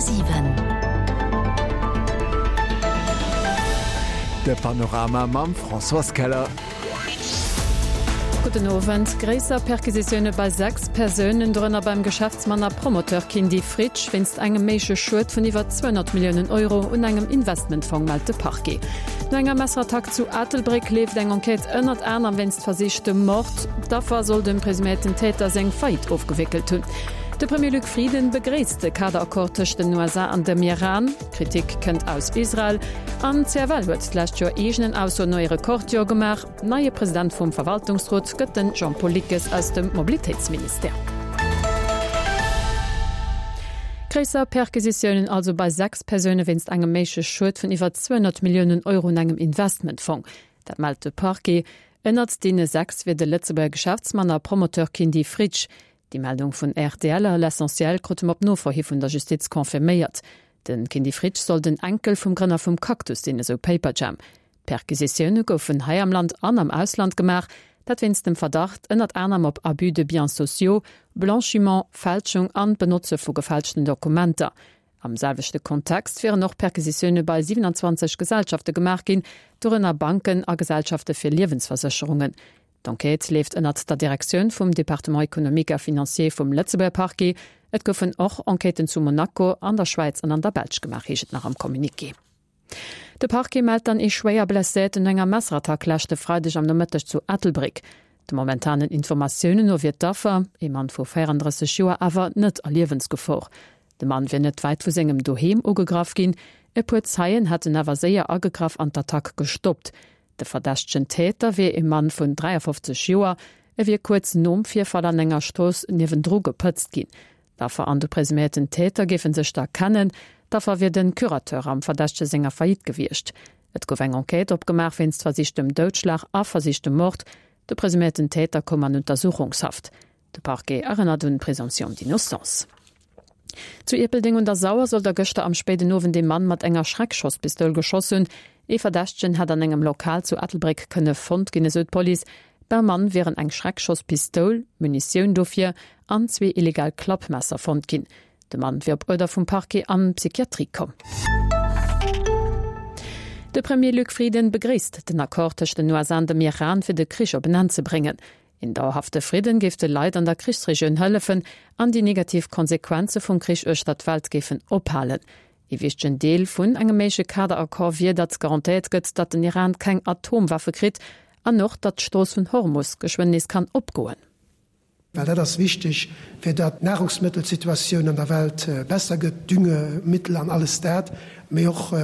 100,7. De Panorama mam Françoise Keller. Gudden Owend. Gréisser Perquisitioune bei 6 Persounen, dorënner beim Geschäftsmann a Promoteur Kindy Fritsch, wéinst engem méigleche Schued vun iwwer 200 Milliounen Euro un engem Investmentfong, mellt de Parquet. No enger Messerattack zu Ettelbréck leeft eng Enquête ënnert anerem wéinst versichtem Mord. D'Affer soll dem presuméierten Täter seng Faillite ofgewéckelt hunn. De Premier Luc Frieden begréisst de Kaderaccord tëscht den USA an dem Iran. Kritik kënnt aus Israel. An d'CFL huet d'lescht Joer eegenen Aussoen no ee Rekordjoer gemaach. Neie President vum Verwaltungsrot gëtt den Jean-Paul Lickes aus dem Mobilitéitsministère. Gréisser Perquisitiounen also bei 6 Persoune wéinst engem méigleche Schued vun iwwer 200 Milliounen Euro un engem Investmentfong. Dat mellt de Parquet. Ënnert deene 6 wier de Lëtzebuerger Geschäftsmann a Promoteur Kindy Fritsch. Déi Meldung vun rtl a L'Essentiel krute mer op Nofro hi vun der Justiz confirméiert. De Kindy Fritsch soll den Enkel vum Grënner vum Cactus sinn, esou Paperjam. D'Perquisitioune goufen hei am Land an am Ausland gemaach, dat wéinst dem Verdacht ënnert anerem op Abus de biens sociaux, Blanchiment, Fälschung an d'Benotze vu gefälschten Dokumenter. Am selwechte Kontext wieren och Perquisitioune bei 27 Gesellschafte gemaach ginn, dorënner Banken a Gesellschafte fir Liewensversécherungen. D'Enquête leeft ënnert der Direktioun vum Département économique a financier vum Lëtzebuerger Parquet. Et goufen och Enquêten zu Monaco, an der Schwäiz an an der Belsch gemaach, heescht et nach am Communiqué. De Parquet mellt dann ee schwéier Blesséierten no enger Messerattack leschte Freideg am Nomëtteg zu Ettelbréck. De momentanen Informatiounen no wier d'Affer, ee Mann vu 34 Joer, awer net a Liewensgefor. De Mann wier net wäit vu sengem Doheem ugegraff ginn. E puer Zeien hätten awer séier agegraff an d'Attack gestoppt. De verdächtegen Täter wier ee Mann vun 53 Joer. E wier kuerz nom Virfall an enger Strooss niewendru gepëtzt ginn. D'Affer an de presuméierten Täter géife sech da kennen. D'Affer wier de Curateur am Verdächtege senger Faillite gewiescht. Et gouf eng Enquête opgemaach wéinst versichtem Doudschlag a versichtem Mord. De presuméierten Täter koum an Untersuchungshaft. De Parquet erënnert un d'Présomption d'innocence. Zu Ierpeldeng un der Sauer soll der gëschter am spéiden Owend ee Mann mat enger Schreckschosspistoul geschoss hunn. Ee Verdächtegen hätt an engem Lokal zu Ettelbréck kënne fonnt ginn, esou d'Police. Beim Mann wieren eng Schreckschosspistoul, Munitioun dofir an zwee illegal Klappmesser fonnt ginn. De Mann wier op Uerder vum Parquet an d'Psychiatrie komm. De Premier Luc Frieden begréisst den Accord tëscht den USA an dem Iran, fir de Krich op en Enn ze bréngen. Een dauerhafte Fridden géif de Leit an der Krichsregioun hëllefen an déi negativ Konsequenze vum Krich uechter d'Welt géifen ophalen. Ee wichtegen Deel vun engem méigleche Kaderaccord wier, datt garantéiert gëtt, datt den Iran keng Atomwaffe kritt an och, datt d'Strooss vun Hormus geschwënn nees kann opgoen. Well dat ass wichteg, fir datt d'Nahrungsmëttelsituatioun an der Welt besser gëtt, Düngemittel an alles dat, mee och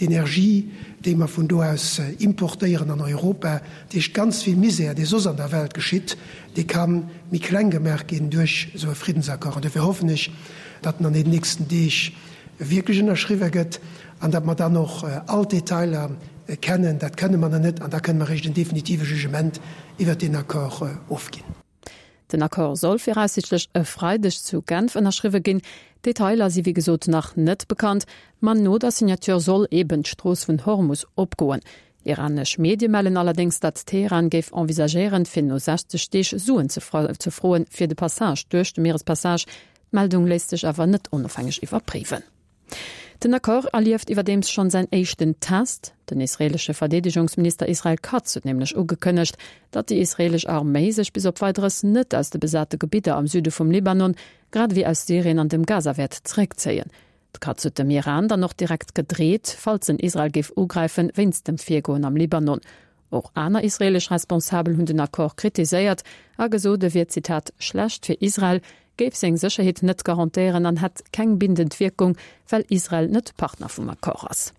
d'Energie, déi mer vun do aus importéieren an Europa. Dat heescht, ganz vill Misär, dee soss an der Welt geschitt, dee ka méi kleng gemaach ginn duerch esou e Friddensaccord. An dofir hoffen ech, datt en an den nächsten Deeg wierklech ënnerschriwwe gëtt an datt mer dann och all d'Detailer kennen. Dat kënne mer nach net an da kënne mer eréischt en definitive Jugement iwwert deen Accord ofginn. Den Accord soll viraussiichtlech e Freideg zu Genf ënnerschriwwe ginn. Detailer si wéi gesot nach net bekannt, ma no der Signature soll eben d'Strooss vun Hormus opgoen. Iranesch Medie mellen allerdéngs, datt Teheran géif envisagéieren, fir no 60 Deeg Suen ze froen, fir de Passage duerch de Mierespassage. D'Meldung léisst sech awer net onofhängeg iwwerpréiwen. Den Accord erlieft iwwerdeems schonn säin éischten Test. Den israeelesche Verdeedegungsminister Israel Katz huet nämlech ugekënnegt, datt déi israeelesch Arméi sech bis op Weideres net aus de besate Gebidder am Süde vum Libanon, grad ewéi aus Syrien an dem Gaza wäert zeréckzéien. De Katz huet dem Iran dann och direkt gedreet, falls en Israel géif ugräifen, wéinst dem Virgoen am Libanon. Och aner israeelesch Responsabel hunn den Accord kritiséiert a gesot, e wier, Zitat, schlecht fir Israel, géif seng Sécherheet net garantéieren an hätt keng bindend Wierkung, well Israel net Partner vum Accord ass.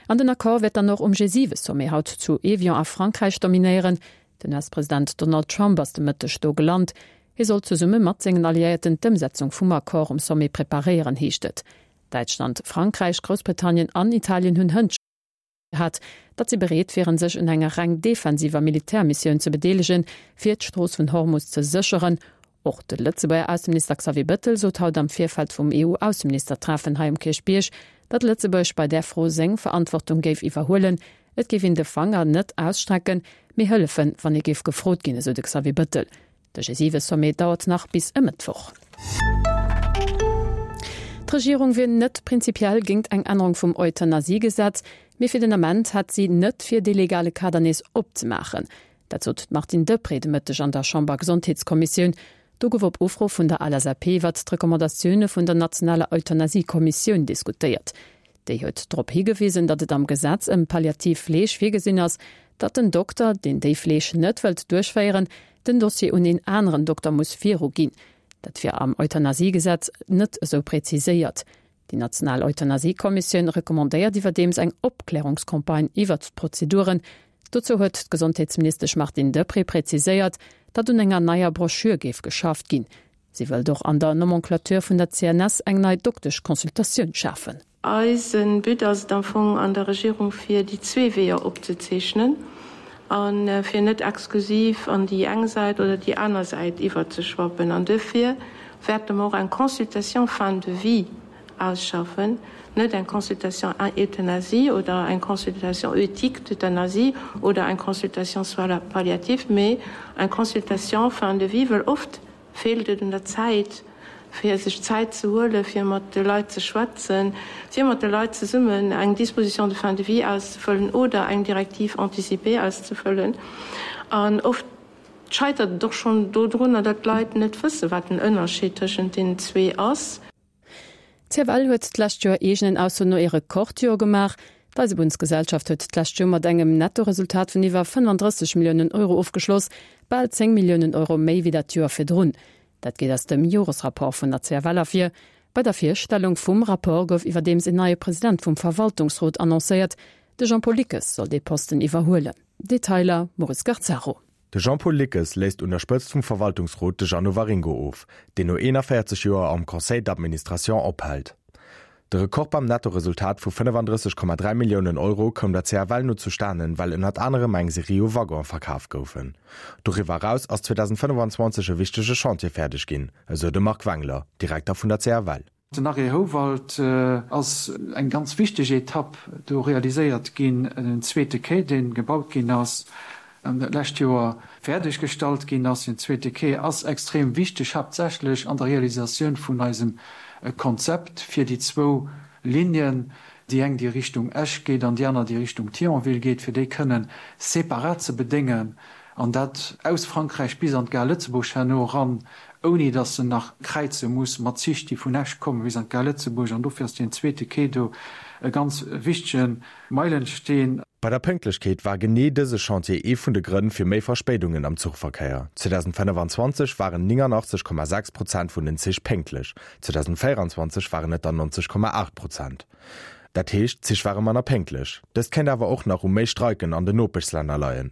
An den Accord wäert dann och um G7-Sommet haut zu Evian a Frankräich dominéieren. Den US-President Donald Trump ass de Mëtteg do gelant. Hie soll zesumme mat sengen Alliéierten d'Ëmsetzung vum Accord um Sommet preparéieren, heescht et. Däitschland, Frankräich, Groussbritannien an Italien hunn hënt hat, datt si bereet wieren, sech un enger reng defensiver Militärmissioun ze bedeelegen, fir d'Strooss vun Hormus ze sécheren. Och de Lëtzebuerger Ausseminister Xavier Bettel sot haut am Virfeld vum EU-Ausseministertreffen hei um Kierchbierg, datt Lëtzebuerg bei där Fro seng Verantwortung géif iwwerhuelen. Et géif een de Fanger net ausstrecken, mee hëllefen, wann ee géif gefrot ginn, esou de Xavier Bettel. De G7-Sommet dauert nach bis e Mëttwoch. D'Regierung wier net prinzipiell géingt eng Ännerung vum Euthanasiegesetz, mee fir den Ament hätt si net vir, dee legale Kader nees opzemaachen. Dat sot d'Martine Deprez de Mëtteg an der Chamber-Gesondheetskommissioun. Do gouf op Ufro vun der LSAP iwwert d'Recommandatioune vun der nationaler Euthanasie-Kommissioun diskutéiert. Déi huet drop higewisen, datt et am Gesetz ëm palliativ Fleeg virgesinn ass, datt den Dokter, deen déi Fleeg net wëllt duerchféieren, den Dossier un een aneren Dokter muss viruginn. Dat wier am Euthanasiegesetz net esou präziséiert. Déi national Euthanasiekommissioun recommandéiert iwwerdeems eng Opklärungscampagne iwwert d'Prozeduren. Dozou huet d'Gesondheetsministesch Martine Deprez präziséiert, datt un enger neier Broschür géif geschafft ginn. Si wëllt och an der Nomenclature vun der CNS eng nei Dokteschconsultatioun schafen. Eise But ass et am Fong an der Regierung fir déi zwee Weeër opzezeechnen a fir net exklusiv an déi eng Säit oder déi aner Säit iwwerzeschwappen. An duerfir wäerte mer och eng Consultation fin de vie ausschaffen, net eng Consultation euthanasie oder eng Consultation éthique d'euthanasie oder eng Consultation soins palliatifs, mee eng Consultation fin de vie, well oft feelt et un der Zäit, fir sech Zäit ze huelen, fir mat de Leit ze schwätzen, fir mat de Leit zesummen eng Disposition de fin de vie auszefëllen oder eng Directive anticipée auszefëllen. An oft scheitert et och schonn dodrunner, datt d'Leit net wëssen, wat den Ënnerscheed tëschent deenen zwee ass. D'CFL huet d'lescht Joer eegenen Aussoen no ee Rekordjoer gemaach. D'Eisebunnsgesellschaft huet d'lescht Joer mat engem Nettoresultat vun iwwer 35 Milliounen Euro ofgeschloss, bal 10 Milliounen Euro méi wéi dat Joer virdrun. Dat geet aus dem Joresrapport vun der CFL ervir. Bei der Virstellung vum Rapport gouf iwwerdeems een neie President vum Verwaltungsrot annoncéiert. De Jean-Paul Lickes soll dee Posten iwwerhuelen. Detailer, Maurice Garzaro. De Jean-Paul Lickes léist un der Spëtzt vum Verwaltungsrot de Jeannot Waringo of, deen no 41 Joer am Conseil d'administration ophält. De Rekord beim Nettoresultat vu 35,3 Milliounen Euro koum der CFL no zustanen, well ënnert anerem eng Serie u Waggonen verkaf goufen. Doriwwer eraus ass 2025 e wichtege Chantier fäerdeg ginn, esou de Marc Wengler, Direkter vun der CFL. Den Arrêt Houwald ass eng ganz wichteg Etapp do realiséiert ginn, en zweete Quai, dee gebaut ginn ass an dat lescht Joer fäerdeg gestallt ginn ass. Deen zweete Quai ass extrem wichteg, haaptsächlech an der Realisatioun vun eisem Konzept fir déi zwou Lignen, déi eng déi Richtung Esch geet an déi aner déi Richtung Thionville geet, fir déi kënnen separat ze bedéngen an dat aus Frankräich bis an d'Gare Lëtzebuerg herno eran, ouni datt se nach kräize muss mat Zich, déi vun Esch kommen bis an d'Gare Lëtzebuerg. An dofir ass deen zweete Quai do e ganz wichtege Meilensteen. Bei der Pénktlechkeet war genee dëse Chantier ee vun de Grënn fir méi Verspéidungen am Zuchverkéier. 2025 waren 89,6 Prozent vun den Zich pénktlech, 2024 waren et der 90,8 Prozent. Dat heescht, d'Zich ware manner pénktlech. Dëst kéint awer och nach u méi Streiken an den Nopeschslänner leien.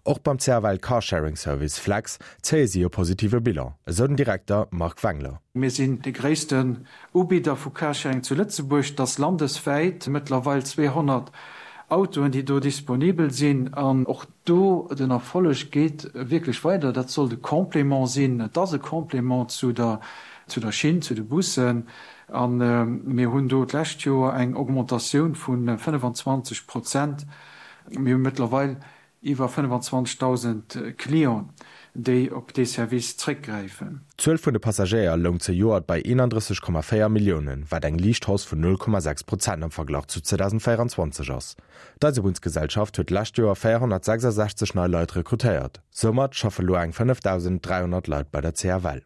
Och beim CFL Carsharing Service Flex zéie si e positive Bilan, esou den Direkter Marc Wengler. Mir sinn de gréissten Ubidder vu Carsharing zu Lëtzebuerg. Et ass landeswäit mëttlerweil 200 Autoen, déi do disponibel sinn. An och do, den Erfolleg geet wierklech weider. Dat sollt e Complément sinn. Et ass e Complément zu der zu der Schinn, zu de Bussen. A mir hunn do d'lescht Joer eng Augmentatioun vu 25 Prozent. Mir hu mëttlerweil iwwer 25.000 Clienten, déi op dee Service zréckgräifen. D'Zuel vun de Passagéier loung zejoert bei 31,4 Milliounen, wat eng liicht Hausse vun 0,6 Prozent am Verglach zu 2024 ass. D'Eisebunnsgesellschaft huet d'lescht Joer 466 nei Leit rekrutéiert. Soumat schaffe lo eng 5.300 Leit bei der CFL.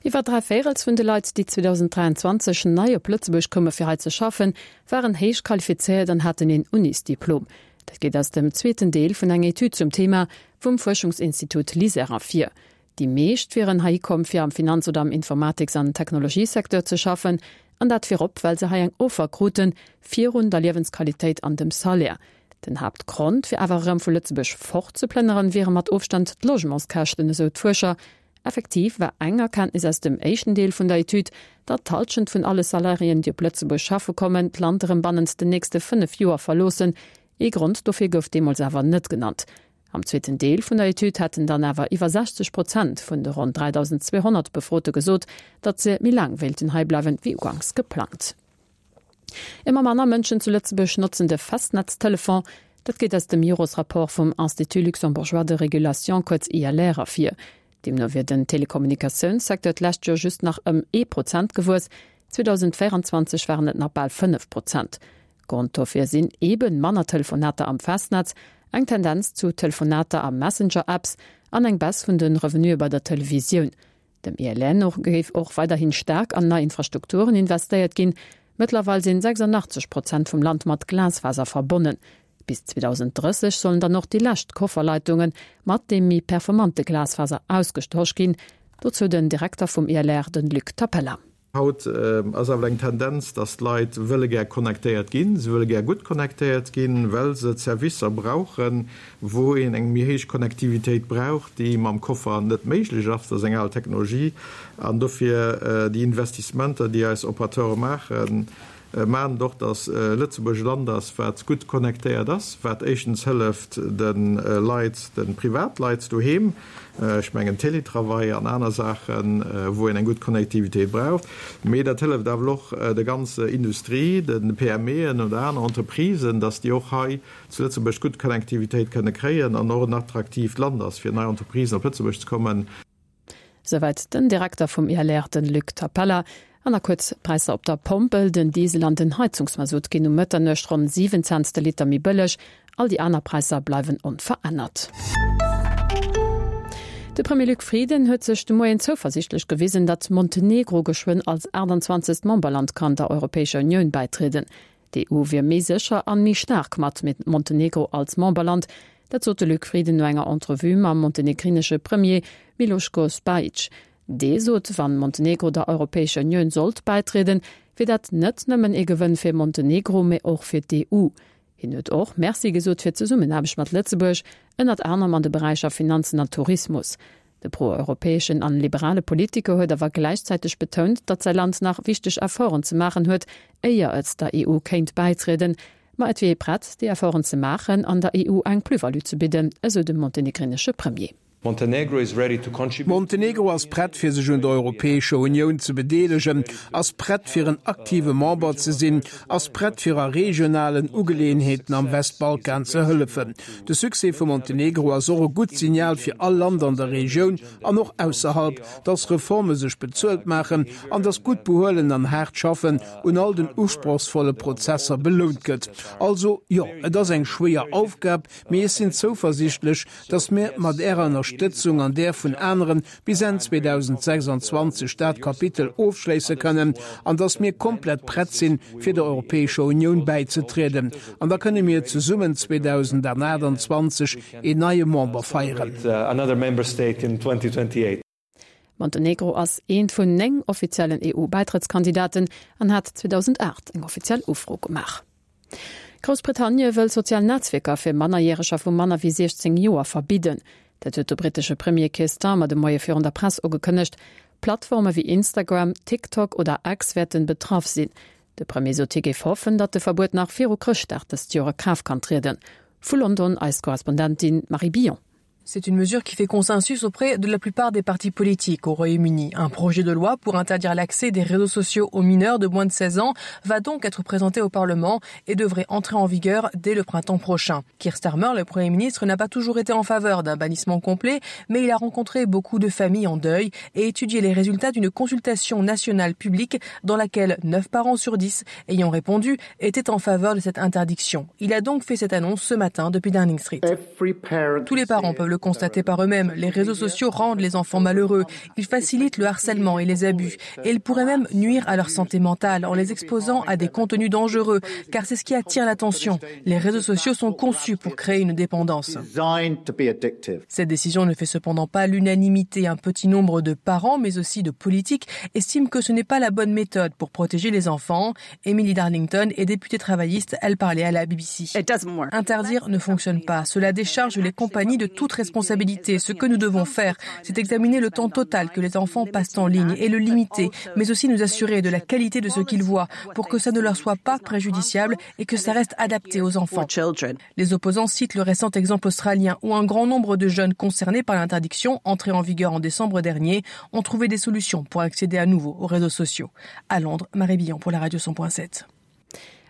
Iwwer 3 Véirels vun de Leit, déi 2023 nei op Lëtzebuerg koume fir hei ze schaffen, waren héich qualifizéiert an haten een Unisdiplom. Dat geet aus dem zweeten Deel vun enger Etüd zum Thema vum Fuerschungsinstitut LISER ervir. Déi meescht wieren heihi komm, fir am Finanz oder am Informatiks an Technologiesecteur ze schaffen, an dat virop, well se hei eng Offer kruten, virun der Liewensqualitéit an dem Salaire. Den Haaptgrond, fir awer erëm vu Lëtzebuerg fortzeplënneren, wiere mat Ofstand d'Logementskäschten, esou d'Fuerscher. Effektiv war eng Erkenntnis aus dem éischten Deel vun der Etüd, datt d'Hallschent vun alle Salariéen, déi op Lëtzebuerg schaffe kommen, d'Land erëm bannent den nächste 5 Joer verloossen. Ee Grond dofir gouf deemools awer net genannt. Am zweeten Deel vun der Etüd hätten dann awer iwwer 60 Prozent vun de ronn 3.200 Befrote gesot, datt se méi laang wéilten heibleiwen, wéi uganks geplangt. Ëmmer manner Mënschen zu Lëtzebuerg notzen de Festnetztelefon. Dat geet aus dem Joresrapport vum Institut luxembourgeois de régulation, kuerz ILR, ervir. Deemno wier den Telekommunikatiounssecteur d'lescht Joer just nach ëm ee Prozent gewuess. 2024 waren et nach bal 5 Prozent. Grond dofir sinn eeben manner Telefonater am Festnetz, eng Tendenz zu Telefonater a Messenger-Apps an eng Baisse vun de Revenuë bei der Televisioun. Dem ILR no géif och weiderhin staark an nei Infrastrukturen investéiert ginn. Mëttlerweil sinn 86 Prozent vum Land mat Glasfaser verbonnen. Bis 2030 sollen dann och déi lescht Kofferleitunge mat deem méi performante Glasfaser ausgetosch ginn. Dozou den Direkter vum ILR, de Luc Tapella. Haut ass awer eng Tendenz, dass d'Leit wëlle gär connectéiert ginn. Se wëlle gär gutt connectéiert ginn, well se Servicer brauchen, wou een eng méi héich Connectivitéit brauch, déi mam Koffer net méiglech ass. Dat ass eng al Technologie. An dofir déi Investissementer, déi eis Operateure maachen, maachen et och, dass Lëtzebuerg e Land ass, wat gutt connectéiert ass, wat éischtens hëlleft de Leit, de Privatleit doheem, ech mengen Télétravail an aner Saachen, wou een eng gutt Connectivitéit brauch, mee dat hëlleft awer och der ganzer Industrie, de PMEen oder aner Entreprisen, dass déi och hei zu Lëtzebuerg gutt Connectivitéit kënne kréien an och en attraktiivt Land ass, fir nei Entreprisen op Lëtzebuerg ze kommen. Souwäit den Direkter vum ILR, den Luc Tapella. An nach kuerz d'Präisser op der Pompel, Den Diesel an den Heizungsmasutt ginn um Mëtternuecht ronn 7 Cents de Liter méi bëlleg. All déi aner Präisser bleiwen onverännert. De Premier Luc Frieden huet sech de Moien zouversiichtlech gewisen, datt Montenegro geschwënn als 28. Memberland kann der Europäescher Unioun bäitrieden. D'EU wier méi sécher an méi staark mat Montenegro als Memberland. Dat sot de Luc Frieden no enger Entrevue mam montenegrinesche Premier Miloško Spajić. Dee sot, wann Montenegro der Europäescher Unioun sollt bäitrieden, wier dat net nëmmen ee Gewënn fir Montenegro, mee och fir d'EU. Hien huet och Merci gesot fir d'Zesummenaarbecht mat Lëtzebuerg, ënnert anerem an de Beräicher Finanzen an Tourismus. De pro-europäeschen an liberale Politiker huet awer gläichzäiteg betount, datt säi Land nach wichteg Efforten ze maachen huet, éier et der EU kéint bäitrieden. Ma et wier ee prett, déi Efforten ze maachen an der EU eng Plus-value ze bidden, esou de montenegrinesche Premier. Montenegro ass prett fir sech un der Europäescher Unioun ze bedeelegen, ass prett fir en aktive Member ze sinn, ass prett fir a regionalen Ugeleeënheeten am Westbalkan ze hëllefen. De Succès vu Montenegro ass och e gutt Signal fir all Land an der Regioun an och ausserhalb, dass Reforme sech bezuelt maachen an dass gutt Behuelen an haart Schaffen un all den usprochsvolle Prozesser belount gëtt. Also, jo, et ass eng schwéier Aufgab, mee ech sinn zouversichtlech, dass mir mat Ärer Ënnerstëtzung an där vun aneren bis Enn 2026 dat Kapitel ofschléisse kënnen an dass mir komplett prett sinn, fir der Europäescher Unioun bäizetrieden. An da kënne mir zesummen 2028 een neie Member feieren. Montenegro ass eent vun 9 offiziellen EU-Bäitrëttskandidaten an hat 2008 eng offiziell Ufro gemaach. Groussbritannie wëll sozial Netzwierker fir Mannerjäreger vu manner wéi 16 Joer verbidden. Dat huet de brittesche Premier Keir Starmer de Moie virun der Press ugekënnegt. Plattforme wéi Instagram, TikTok oder X wäerten betraff sinn. De Premier sot hie géif hoffen, datt de Verbuet nach viru Chrëschtdag dëst Joer a Kraaft kann trieden. Vu London eis Korrespondentin Marie Billon. C'est une mesure qui fait consensus auprès de la plupart des partis politiques au Royaume-Uni. Un projet de loi pour interdire l'accès des réseaux sociaux aux mineurs de moins de 16 ans va donc être présenté au Parlement et devrait entrer en vigueur dès le printemps prochain. Keir Starmer, le Premier ministre, n'a pas toujours été en faveur d'un bannissement complet, mais il a rencontré beaucoup de familles en deuil et étudié les résultats d'une consultation nationale publique dans laquelle 9 parents sur 10 ayant répondu étaient en faveur de cette interdiction. Il a donc fait cette annonce ce matin depuis Downing Street. Tous les parents peuvent le constater par eux-mêmes. Les réseaux sociaux rendent les enfants malheureux. Ils facilitent le harcèlement et les abus. Et ils pourraient même nuire à leur santé mentale en les exposant à des contenus dangereux, car c'est ce qui attire l'attention. Les réseaux sociaux sont conçus pour créer une dépendance. Cette décision ne fait cependant pas l'unanimité. Un petit nombre de parents, mais aussi de politiques, estiment que ce n'est pas la bonne méthode pour protéger les enfants. Emily Darlington est députée travailliste, elle parlait à la BBC. Interdire ne fonctionne pas. Cela décharge les compagnies de toute responsabilité. Ce que nous devons faire, c'est examiner le temps total que les enfants passent en ligne et le limiter, mais aussi nous assurer de la qualité de ce qu'ils voient pour que ça ne leur soit pas préjudiciable et que ça reste adapté aux enfants. Les opposants citent le récent exemple australien où un grand nombre de jeunes concernés par l'interdiction, entrée en vigueur en décembre dernier, ont trouvé des solutions pour accéder à nouveau aux réseaux sociaux. À Londres, Marie Billon pour la radio 100.7.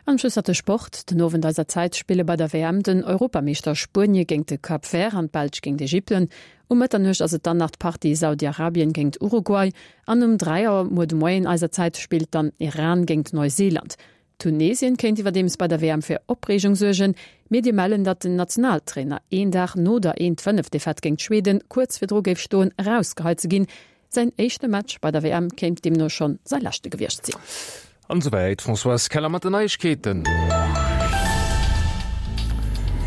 An Schluss nach de Sport, Den Owend eiser Zäit spille bei der WM den Europameeschter Spuenie géingt de Cap Vert an d'Belsch géingt Ägypten. Um Mëtternuecht ass et dann nach d'Partie Saudi-Arabien géingt Uruguay an um 3 Auer muer de Moien eiser Zäit spillt dann Iran géingt Neuseeland. Tunesien kéint iwwerdeems bei der WM fir Opreegung suergen. Medie mellen, datt den Nationaltrainer een Dag no der 1, 5 Defaite géingt Schweden kuerz virdru géif stoen, erausgeheit ze ginn. Säin éischte Match bei der WM kéint deemno schonn säi leschte gewiescht sinn. An esouwäit d'Françoise Keller mat den Neiegkeeten.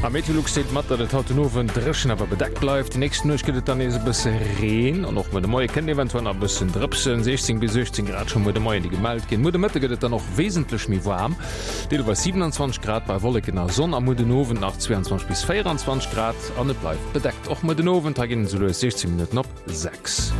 A Meteolux deelt mat, datt et haut den Owend dréchen awer bedeckt bleift. Déi nächst Nuecht gëtt et dann nees e bësse Reen an och muer de Moie kënnt eventuell nach e bëssen drëpsen. 16 bis 18 Grad scho muer de Moien, déi gemellt ginn. Muer de Mëtte gëtt et dann och wesentlech méi waarm, deelweis 27 Grad bei Wolleken a Sonn a muer den Owend nach 22 bis 24 Grad an et bleift bedeckt. Och muer den Owend, hei ginn et esou lues 16 Minutten op 6.